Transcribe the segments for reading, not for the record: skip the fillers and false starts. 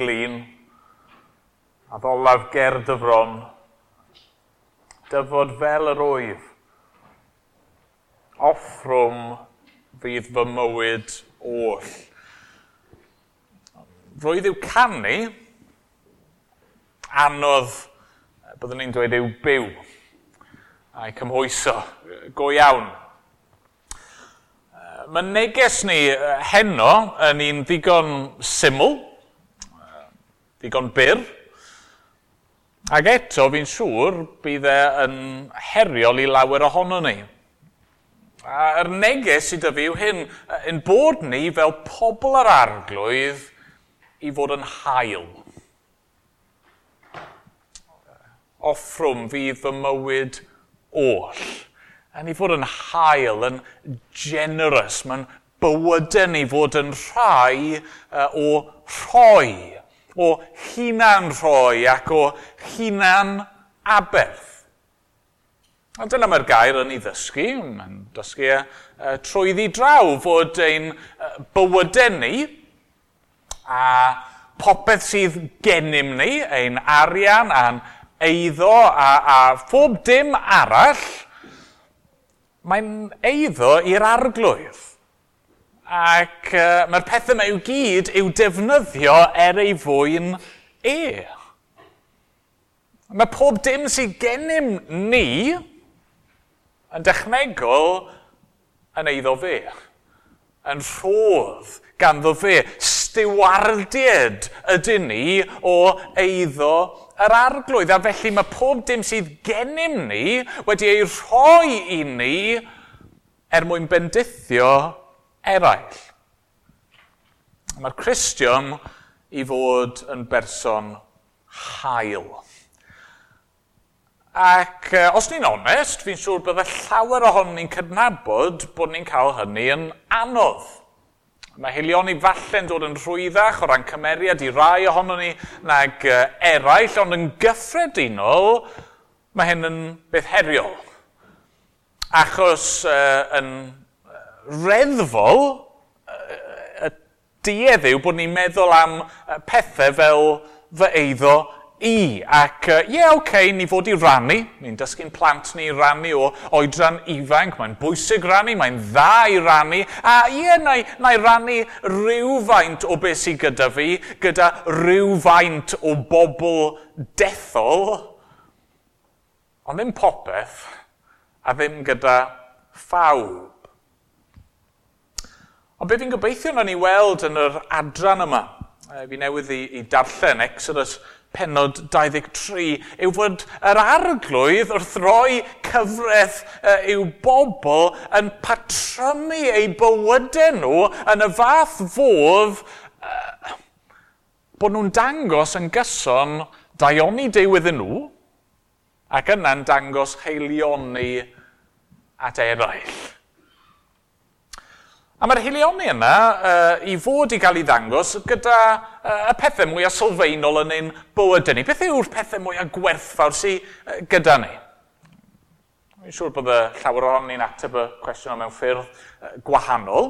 Glin, addolaf ger dy fron, dyfod fel yr wyf. Offrwm fydd fy mywyd oll. Roedd i'w canu, anodd, byddwn ni'n dweud, yw byw a'i cymhwyso go iawn. Mae neges ni heno yn un ddigon syml, ddigon byr, ac eto fi'n siŵr bydd e yn heriol i lawer ohono ni. A'r neges sydd 'da fi yw hyn, ein bod ni fel pobl yr Arglwydd i fod yn hael. Offrwm fydd fy mywyd oll. A ni fod yn hael, yn generous, mae'n bywydau ni fod yn rhai o rhoi, o hunan rhoi ac o hunan aberth. A dyna mae'r gair yn ei ddysgu, mae'n dysgu trwyddi draw fod ein bywydau ni a popeth sydd gennym ni, ein arian a'n eiddo a phob dim arall, mae'n eiddo i'r Arglwydd. Ac mae'r pethau yma i'w gyd i'w defnyddio er ei fwyn e. Mae pob dim sydd gennym ni yn dechnegol yn eiddo fe, yn rhodd ganddo fe. Stiwardied ydyn ni o eiddo yr Arglwydd. A felly mae pob dim sydd gennym ni wedi ei rhoi i ni er mwyn bendithio eraill. Mae'r Cristion i fod yn berson hael. Ac os ni'n onest, fi'n siŵr bydde llawer ohonon ni'n cydnabod bod ni'n cael hynny yn anodd. Mae haelioni falle'n dod yn rhwyddach o ran cymeriad i rai ohonon ni nag eraill, ond yn gyffredinol, mae hyn yn beth heriol. Achos yn reddfol, y duedd yw bod ni'n meddwl am pethau fel fy eiddo i. Ac ie, okay, ni fod i rannu. Ni'n dysgu'n plant ni rannu o oedran ifanc. Mae'n bwysig rannu, mae'n dda i rannu. A ie, na i rannu rhywfaint o beth sydd gyda fi, gyda rhywfaint o bobl dethol, ond ddim popeth, a ddim gyda phawb. Ond be fi'n gobeithio na ni weld yn yr adran yma, fi newydd i darllen Exodus pennod 23, yw fod yr Arglwydd wrth roi cyfraith i'w bobl yn patrymu eu bywydau nhw yn y fath fodd bod nhw'n dangos yn gyson daioni Duw iddyn nhw ac yna'n dangos haelioni at eraill. A mae'r haelioni yna i fod i gael ei ddangos gyda y pethau mwyaf sylfaenol yn ein bywydau ni. Beth yw'r pethau mwyaf gwerthfawr sydd gyda ni? Dwi'n siŵr bod y llawer ohonon ni'n ateb y cwestiwn yma mewn ffyrdd gwahanol,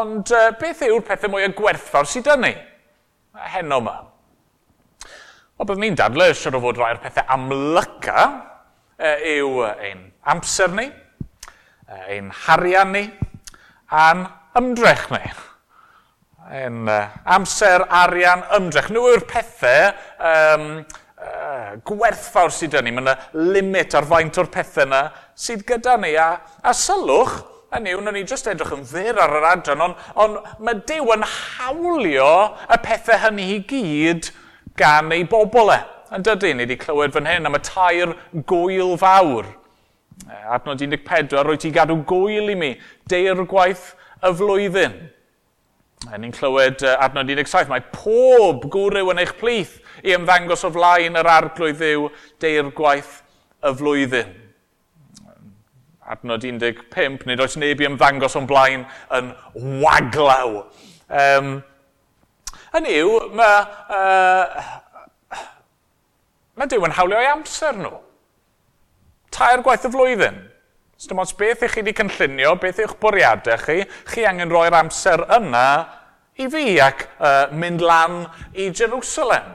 ond beth yw'r pethau mwyaf gwerthfawr sydd gyda ni heno yma? Wel, byddwn ni'n dadlau, siŵr o fod rhai o'r pethau amlyca yw ein amser ni, ein harian ni, a'n ymdrech ni. Ein amser, arian, ymdrech. Nhw yw'r pethau gwerthfawr sydd gyda ni. Mae yna limit ar faint o'r pethau yna sydd gyda ni. A sylwch, hynny yw, wnawn ni jyst edrych yn fyr ar yr adran, ond mae Duw yn hawlio y pethau hynny i gyd gan ei bobl e. Yn dydy, ni wedi clywed fan hyn am y tair gwyl fawr. Adnod 14, rwy ti gadw gwyl i mi, deirgwaith y flwyddyn. Ni'n clywed adnod 17, mae pob gwryw yn eich plith i ymddangos o flaen yr Arglwydd Dduw deirgwaith y flwyddyn. Adnod 15, nid oes neb i ymddangos o'n blaen yn waglaw. Hynny yw, mae Duw yn hawlio ei amser nhw. Tair gwaith y flwyddyn. Dim ots beth ych chi wedi cynllunio, beth yw'ch bwriadau chi, chi angen rhoi'r amser yna i fi ac mynd lan i Jerusalem.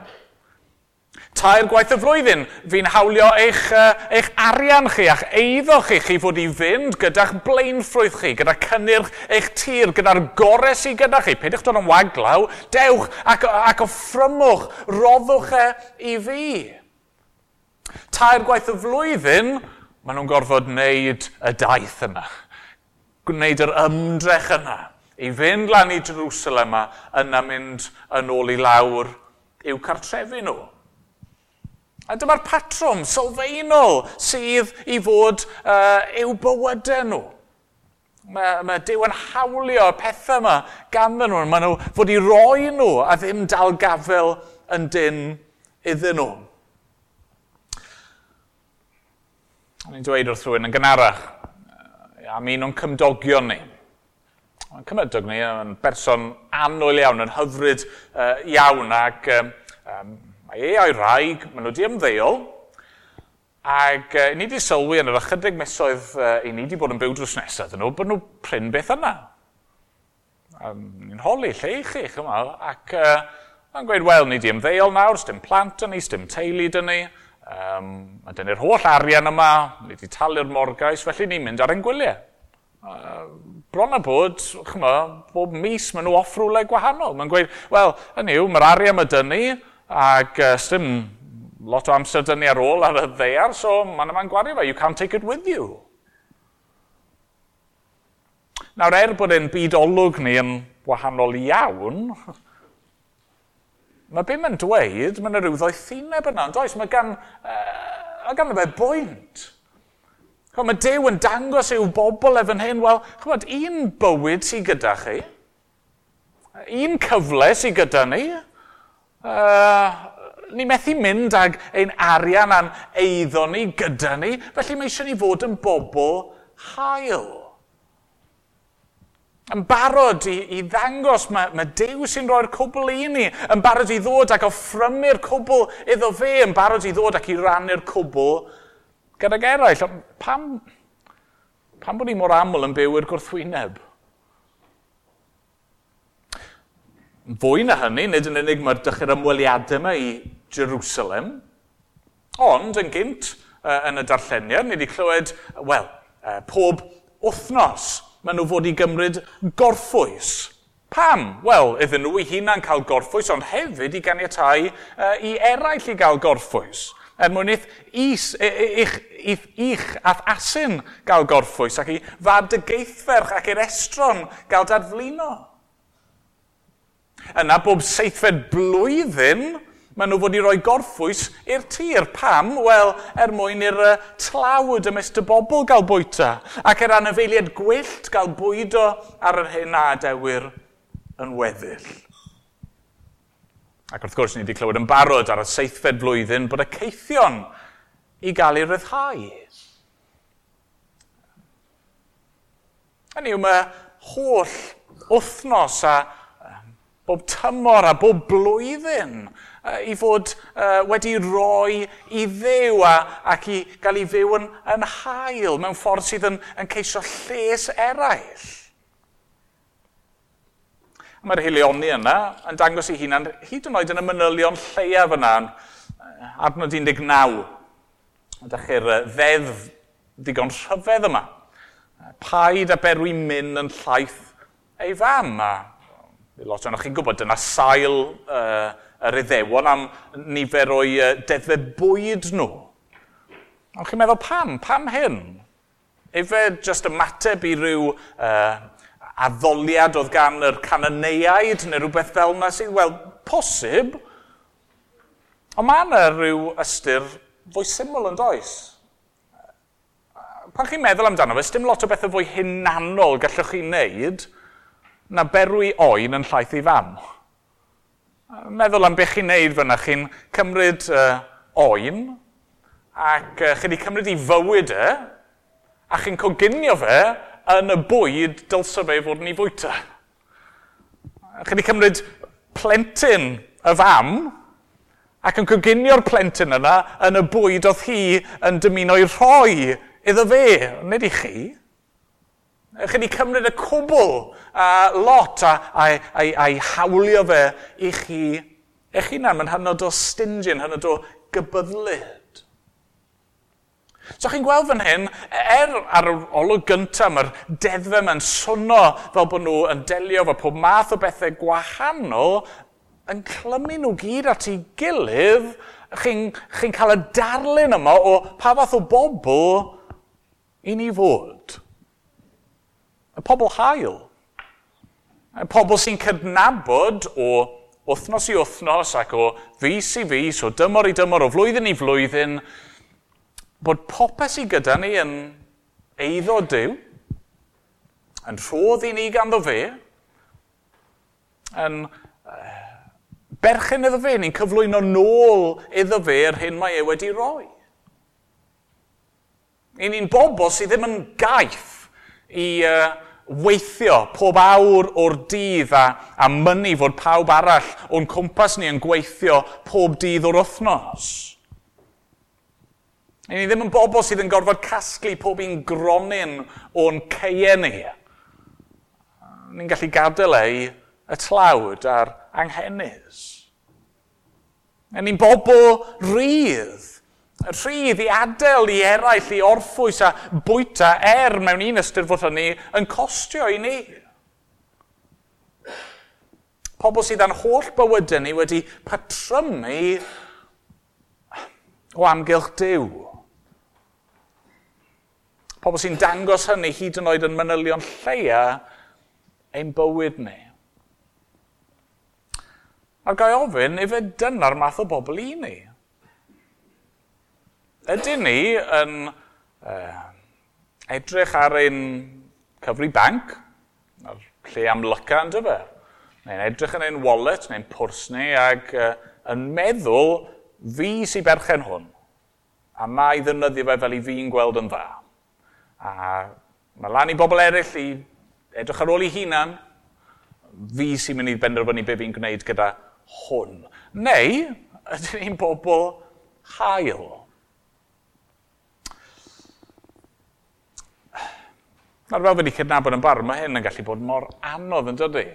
3 gwaith y flwyddyn, fi'n hawlio eich arian chi a'ch eiddo chi, chi fod i fynd gyda'ch blaenffrwyth chi, gyda cynnyrch eich tir, gyda'r gorau sydd gyda chi. Peidiwch dod yn waglaw, dewch ac offrymwch, roddwch e i fi. 3 gwaith y flwyddyn, maen nhw'n gorfod wneud y daith yna, gwneud yr ymdrech yna, i fynd lan i Jerusalem a yna mynd yn ôl i lawr i'w cartrefi nhw. A dyma'r patrwm sylfaenol sydd i fod i'w bywydau nhw. Mae Duw yn hawlio y pethau yma ganddyn nhw. Maen nhw fod i roi nhw a ddim dal gafel yn dyn iddyn nhw. O'n i'n dweud wrth rhywun yn gynharach am un o'n cymdogion ni. Mae'n cymydog ni yn berson annwyl iawn, yn hyfryd iawn ac mae e a'i wraig, maen nhw wedi ymddeol, ac ni wedi sylwi yn yr ychydig misoedd i ni wedi bod yn byw drws nesaf iddyn nhw, bod nhw prin beth yna. Ni'n holi, lle i chi, chyma, ac mae'n gweud, wel, ni wedi ymddeol nawr, sdim plant yn ni, sdim teulu dyn ni, mae dyn ni'r holl arian yma, ni wedi talu'r morgais, felly ni'n mynd ar ein gwyliau. Bron a bod, chyma, bob mis maen nhw off rhywle gwahanol. Mae'n gweud, wel, hynny yw, mae'r arian yma dyn ni, ac sdim lot o amser dyn ni ar ôl ar y ddaear, so mae'n yma'n gwario fe. You can't take it with you. Nawr, bod ein byd olwg ni yn wahanol iawn, mae be mae'n dweud, mae'n rhyw ddoethineb yna, ond oes, mae gan fe bwynt. Chymod, mae Duw yn dangos i'w bobl efo'n hyn, wel, chymod, un bywyd sydd gyda chi, un cyfle sydd gyda ni, ni methu mynd ag ein arian a'n eiddo ni gyda ni, felly mae eisiau ni fod yn bobl hael. Yn barod i ddangos mae Duw sy'n rhoi'r cwbl i ni, yn barod i ddod ac offrymu'r cwbl iddo fe, yn barod i ddod ac i rannu'r cwbl gydag eraill. Pam bod ni mor aml yn byw i'r gwrthwyneb? Fwy na hynny, nid yn unig mae'r dechrau'r ymweliadau yma i Jerusalem, ond yn gynt yn y darlleniad, ni wedi clywed, wel, pob wythnos maen nhw fod i gymryd gorffwys. Pam? Wel, iddyn nhw eu hunain cael gorffwys, ond hefyd i ganiatáu i eraill i gael gorffwys. Er mwyn i'ch ath asyn gael gorffwys ac i fab dy geithferch ac i'r estron gael dadflino. Yna, bob 7fed blwyddyn, maen nhw fod i roi gorffwys i'r tir. Pam? Wel, er mwyn i'r tlawd ymysg y bobl gael bwyta, ac yr anifeiliaid gwyllt gael bwydo ar yr hyn a adewir yn weddill. Ac wrth gwrs, ni wedi clywed yn barod ar y 7fed blwyddyn bod y caethion i gael eu rhyddhau. Hynny yw, mae holl wythnos a bob tymor a bob blwyddyn i fod wedi rhoi i Dduw ac i gael ei fyw yn hael mewn ffordd sydd yn ceisio lles eraill. Mae'r hilioni yna yn dangos ei hunan hyd yn oed yn y manylion lleiaf yna, adnod 19. Ydych chi'r ddeddf ddigon rhyfedd yma. Paid a berwi myn yn llaeth ei fam. A lot ohonoch chi'n gwybod, dyna sail yr Iddewon am nifer o'i deddfau bwyd nhw. Ond chi'n meddwl, pam? Pam hyn? Efe jyst ymateb i ryw addoliad oedd gan yr Cananeiaid neu rhywbeth fel yna sydd, wel, posib. Ond mae yna rhyw ystyr fwy syml yn does. Pan chi'n meddwl amdano fe, dim lot o bethau fwy hunanol gallwch chi wneud na berwi oen yn llaeth ei fam. Meddwl am beth chi'n neud fyna, chi'n cymryd oen, ac chi wedi cymryd ei fywyd e, a chi'n coginio fe yn y bwyd dylse fe fod yn ei fwyta. Chi wedi cymryd plentyn y fam, ac yn coginio'r plentyn yna yn y bwyd oedd hi yn dymuno ei rhoi iddo fe, nid i chi. Chi wedi cymryd y cwbl lot a'i hawlio fe i chi eich hunan. Mae'n hynod o stingy, yn hynod o gybyddlyd. So chi'n gweld fan hyn, ar yr olwg gyntaf, mae'r deddfau yma'n swnio fel bod nhw yn delio efo pob math o bethau gwahanol, yn clymu nhw gyd at ei gilydd, chi'n cael y darlun yma o pa fath o bobl i ni fod. Y pobl hael. Y pobl sy'n cydnabod o wythnos i wythnos ac o fis i fis, o dymor i dymor, o flwyddyn i flwyddyn, bod popeth sydd gyda ni yn eiddo Duw, yn rhodd i ni ganddo fe, yn berchen iddo fe, ni'n cyflwyno nôl iddo fe yr hyn mae e wedi roi. I ni'n bobl sydd ddim yn gaeth i weithio pob awr o'r dydd a mynnu fod pawb arall o'n cwmpas ni yn gweithio pob dydd o'r wythnos. I ni ddim yn bobl sydd yn gorfod casglu pob un gronyn o'n caeau ni. Ni'n gallu gadael ei y tlawd a'r anghenus. A ni'n bobl rhydd. Rhydd i adael i eraill i orffwys a bwyta mewn un ystyr fod hynny yn costio i ni. Pobl sydd â'n holl bywydau ni wedi patrymu o amgylch Duw. Pobl sy'n dangos hynny hyd yn oed yn manylion lleia ein bywyd ni. A ga i ofyn, ife dyna'r math o bobl i ni? Ydyn ni yn edrych ar ein cyfri banc, ar lle amlyca yn dyfe? Neu'n edrych yn ein wallet, neu'n pwrs ni, ac yn meddwl, fi sy'n berchen hwn, a mae ddefnyddio fe fel i fi'n gweld yn dda. A mae lan i bobl eraill i edrych ar ôl i hunan, fi sy'n mynd i benderfynu be fi'n gwneud gyda hwn. Neu, ydyn ni'n bobl hael? Nawr, fel fi wedi cydnabod yn barod, mae hyn yn gallu bod mor anodd yn dydy.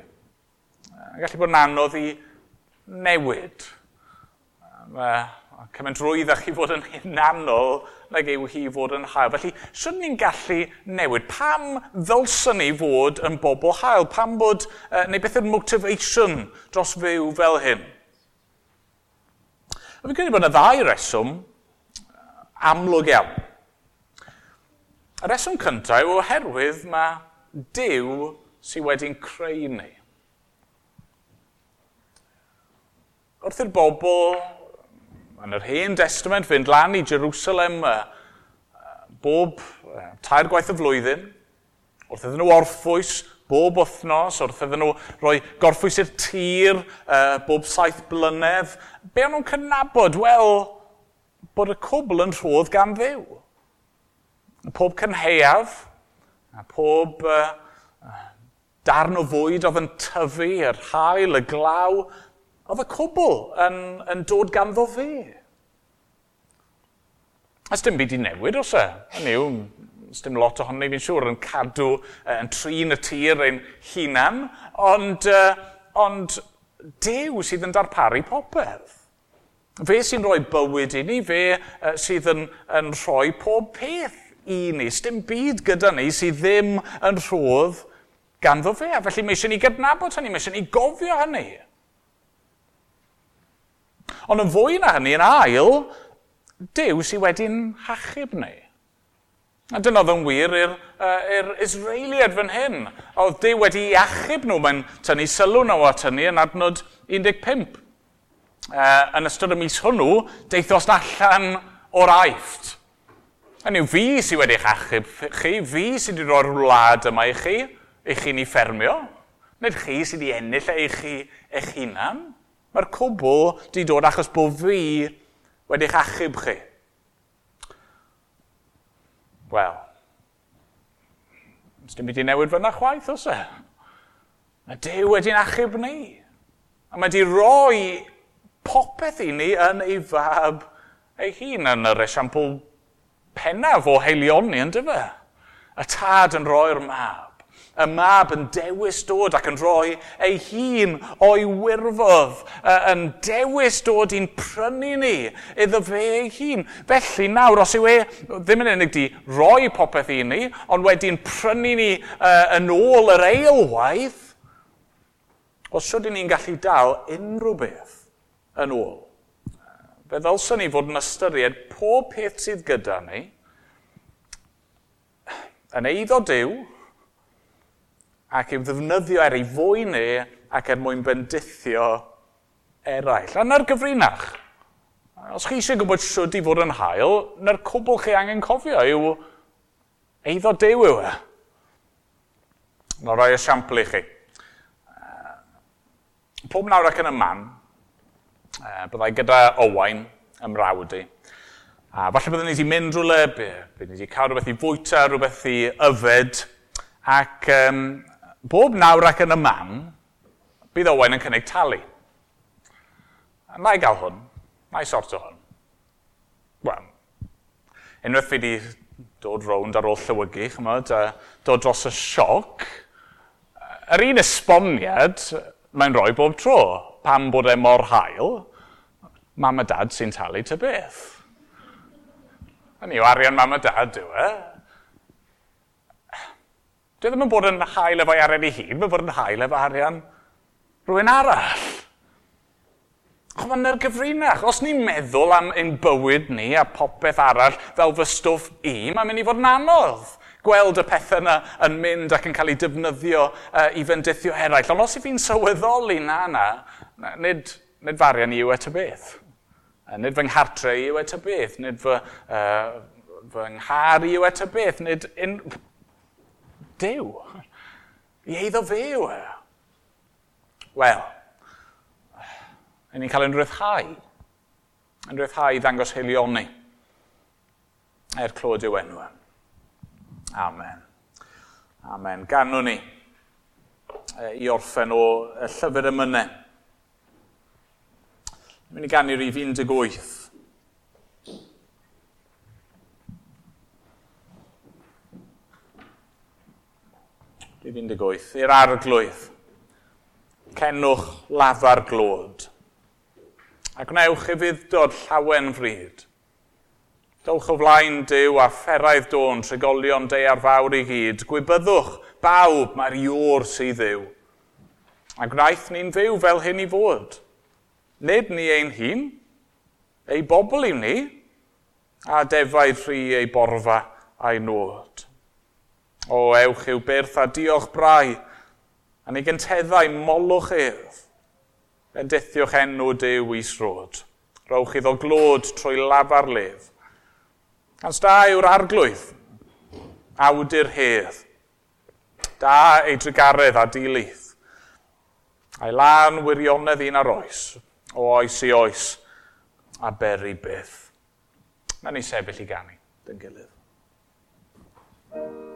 Yn gallu bod yn anodd i newid. Mae cymaint rwydd â chi fod yn hunanol nag yw hi fod yn hael. Felly, swn ni'n gallu newid? Pam ddylswn ni fod yn bobl hael? Pam bod, neu beth yw'r motivation dros fyw fel hyn? A fi'n credu bod yna ddau reswm amlwg iawn. Y reswm cyntaf yw oherwydd mae Duw sydd wedi'n creu ni. Wrth i'r bobl yn yr Hen Testament fynd lan i Jerusalem bob 3 gwaith y flwyddyn, wrth iddyn nhw orffwys bob wythnos, wrth iddyn nhw roi gorffwys i'r tir bob 7 blynedd, be o'n nhw'n cydnabod? Wel, bod y cwbl yn rhodd gan Dduw. Pob cynhaeaf, a pob darn o fwyd oedd yn tyfu, yr haul, y glaw, oedd y cwbl yn dod ganddo fe. A dim byd i newid, oes e? Hynny yw, dim lot ohono ni, fi'n siŵr, yn cadw, yn trin y tir ein hunan, ond Duw sydd yn darparu popeth. Fe sy'n rhoi bywyd i ni, fe sydd yn rhoi pob peth i ni. Dim byd gyda ni sydd ddim yn rhodd ganddo fe. A felly mae eisiau ni gydnabod hynny, mae eisiau ni gofio hynny. Ond yn fwy na hynny, yn ail, Duw sydd wedi'n hachub ni. A dyna oedd yn wir i'r Israeliad fan hyn. Oedd Duw wedi achub nhw, mae'n tynnu sylw nhw at hynny yn adnod 15. Yn ystod y mis hwnnw, deithos allan o'r Aifft. Hynny yw, fi sydd wedi'ch achub chi, fi sydd wedi rhoi'r wlad yma i chi ni ffermio. Nid chi sydd wedi ennill e i chi eich hunan. Mae'r cwbl wedi dod achos bod fi wedi'ch achub chi. Wel, dim byd i newid fyna chwaith, oes e? Mae Duw wedi'n achub ni. A mae wedi rhoi popeth i ni yn ei fab ei hun, yn yr esiampl pennaf o haelioni, yn dyfe? Y tad yn rhoi'r mab. Y mab yn dewis dod ac yn rhoi ei hun o'i wirfodd, yn dewis dod i'n prynu ni iddo fe ei hun. Felly nawr, os yw e ddim yn unig di roi popeth i ni, ond wedi'n prynu ni yn ôl yr eilwaith, os sut ni'n gallu dal unrhyw beth yn ôl? Fe ddylswn ni fod yn ystyried pob peth sydd gyda ni yn eiddo Duw ac i'w ddefnyddio er ei fwyn e ac er mwyn bendithio eraill. A na'r gyfrinach. Os chi eisiau gwybod sut i fod yn hael, na'r cwbl chi angen cofio yw eiddo Duw yw e. Na roi esiampl i chi. Pob nawr ac yn y man, byddai gyda Owain ym mrawd i. A falle byddwn ni wedi mynd rhywle, byddwn ni wedi cael rhywbeth i fwyta, rhywbeth i yfed, ac bob nawr ac yn y man, bydd Owain yn cynnig talu. A na i gael hwn, na i sorto hwn. Wel, unwaith fi wedi dod rownd ar ôl llywygu, chymod, a dod dros y sioc, yr un esboniad mae'n rhoi bob tro, pam bod e mor hael, mam a dad sy'n talu ta beth. Hynny yw, arian mam a dad yw e. Dwi ddim yn bod yn hael efo'i arian ei hun, mae'n bod yn hael efo arian rhywun arall. Chos mae'n gyfrinach. Os ni'n meddwl am ein bywyd ni a popeth arall fel fy stwff i, mae'n mynd i fod yn anodd gweld y pethau yna yn mynd ac yn cael eu defnyddio i fendithio eraill. Ond os i fi'n sylweddoli na, nid fy arian i yw e ta beth. Nid fy nghartre i yw e ta beth. Nid fy nghar i yw e ta beth. Nid Duw. I eiddo fe yw e. Wel, ni'n cael ein rhyddhau. Yn rhyddhau i ddangos haelioni. Er clod yw enw. Amen. Amen. Ganwn ni i orffen o y llyfr emynau. Ni'n mynd i ganu rhif 18. Rhif 18. I'r arglwydd, cenwch lafar glod, a gwnewch ufudd-dod llawen fryd. Dowch o flaen Duw a fferaidd dôn, trigolion daear fawr i gyd. Gwybyddwch bawb mae'r Iôr sydd Dduw. A gwnaeth ni'n fyw fel hyn i fod. Nid ni ein hun, ei bobl yw ni, a defaid rhy ei borfa a'i nod. O, ewch i'w byrth a diolch brau, a ni gynteddau molwch ef. Bendithiwch enw Duw isrod. Rowch iddo glod trwy lafar lef. Ans da yw'r arglwydd, awdur hedd. Da ei drugaredd a dilith. A'i lân wirionedd un ar oes, o oes i oes, a beri byth. Na ni sefyll i ganu, dyn gilydd. Amen.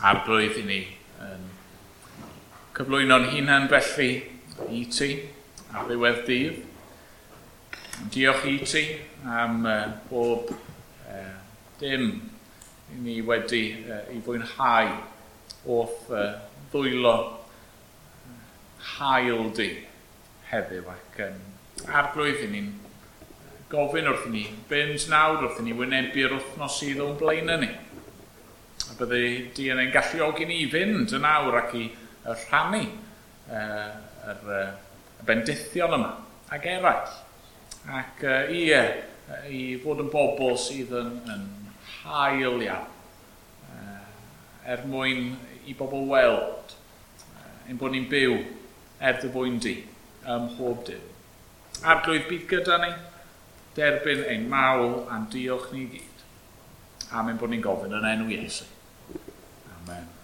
Arglwydd, i ni yn cyflwyno'n hunan felly i ti ar ddiwedd dydd. Diolch i ti am bob dim i ni wedi i fwynhau o'th ddwylo hael di heddiw, ac Arglwydd, i ni'n gofyn wrth i ni fynd nawr, wrth i ni wynebu'r wythnos sydd o'n blaenau ni. A bydde di yn ein galluogi ni i fynd yn awr ac i rhannu y bendithion yma ac eraill. Ac ie, i fod yn bobl sydd yn hael iawn, er mwyn i bobl weld ein bod ni'n byw er dy fwyn di ym mhob dim. Arglwydd, bydd gyda ni, derbyn ein mawl a'n diolch ni gyd. Am ein bod ni'n gofyn yn enw Iesu. Amen.